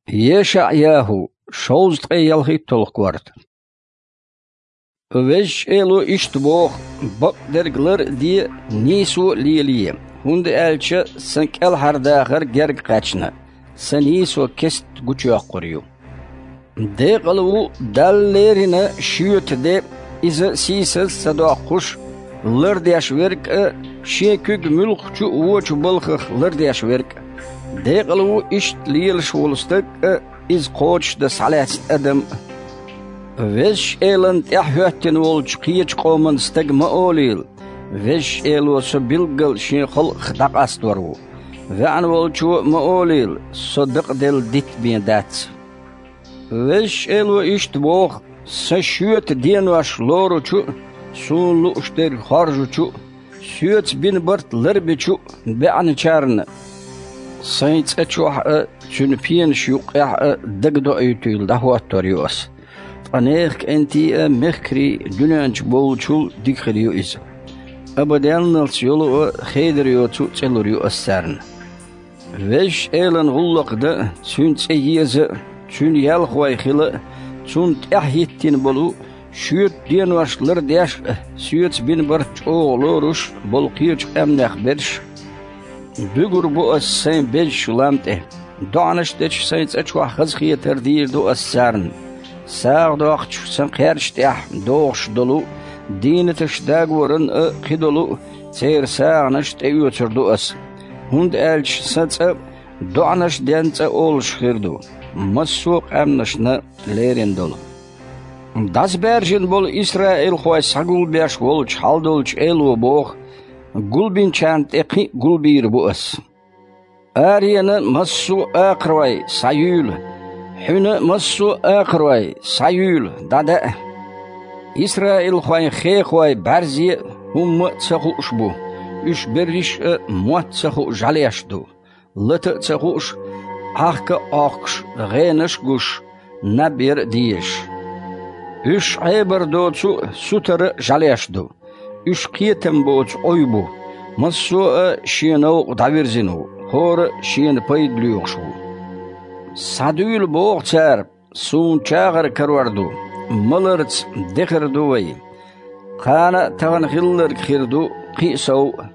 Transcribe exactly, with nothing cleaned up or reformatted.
ЕшаӀ-ЯхӀу, шовзткъе ялхитталгӀа корта. Везачу Эло иштта боху: «Бакъдерг лар а де, нийсо а лелае, хӀунда аьлча сан кӀелхьардахар герга кхаьчна, сан нийсо кеста гучуйоккхур ю». Декъала ву Далла леррина шоьта де, иза сийсаз а ца доккхуш, лардеш верг а, шен куьг муьлххачу а вочу балхах лардеш верг а. Декъала ву иштта лелаш волу стаг а, иза кхочушдан схьалаьцна адам а. Везачу Элана тӀаьхьахӀоьттина волчу кхечу къоман стага ма олийла: «Везачу Эло со билггал шен халкъах дӀакъастор ву». ВаьӀна волчо а ма олийла: «Со дакъаделла дитт бен дац». Везачу Эло иштта боху: «Сан шоьта денош лоручу а, суна лууш дерг хоржучу а, соьца бина барт ларбечу а баьӀначарна, сайн цӀа чохь а, цуьнан пенаш юккъехь а дагадоуьйтийла дӀахӀоттор ю ас. Ткъа нехан кӀентий а, мехкарий а дуьнен чу болчул дика хир ю иза. Абаденналц йолу а, хедар йоцу а цӀе лур ю ас царна». Везачу Элана гӀуллакх дан а, Цуьнан цӀе еза а, Цуьнан ялхой хила а, Цунна тӀаьхьахӀиттина болу, шоьтан денош лардеш а, соьца бина барт чӀогӀа лоруш а болу кхечу къаьмнех берш а. Буьгур бу ас Сайн безачу лам тӀе. ДоӀанаш дечу Сайн цӀа чохь хазахетар дийр ду ас царна. СагӀа доккхучу Сан кхерча тӀехь догӀуш долу а, дийнаташ дагоран а кхидолу а церан сагӀанаш тӀеоьцур ду ас, хӀунда аьлча Сан цӀа доӀанаш ден цӀа олуш хир ду, массо а къаьмнашна лерина долу. ДӀасабаьржина болу исраилхой схьагулбеш волчу хьалдолчу Эло боху: «Гулбинчарна тӀе кхин а гулбийр бу ас». Аренан массо а акхарой, схьаюьйла! Хьуьнан массо а акхарой, схьаюьйла, дӀадаа! Исраилхойн хехой бӀаьрзе а, хӀумма а ца хууш бу, уьш берриш а мотт ца хууш жӀаьлеш ду, лата а ца хууш, Ӏахка а Ӏохкуш, гӀенаш а гуш, наб яр а дезаш. Уьш Ӏебар доцу а, сутара а жӀаьлеш ду. Уьш кхетам боцу Ӏуй бу, массо а шен новкъа дӀавирзина ву, хӀора а шена пайда лоьхуш ву. Схьадуьйла, боху цара, Суна чагӀар карор ду, маларца дехар ду вай. Кхана а тахана хилларг хир ду кхин а сов а.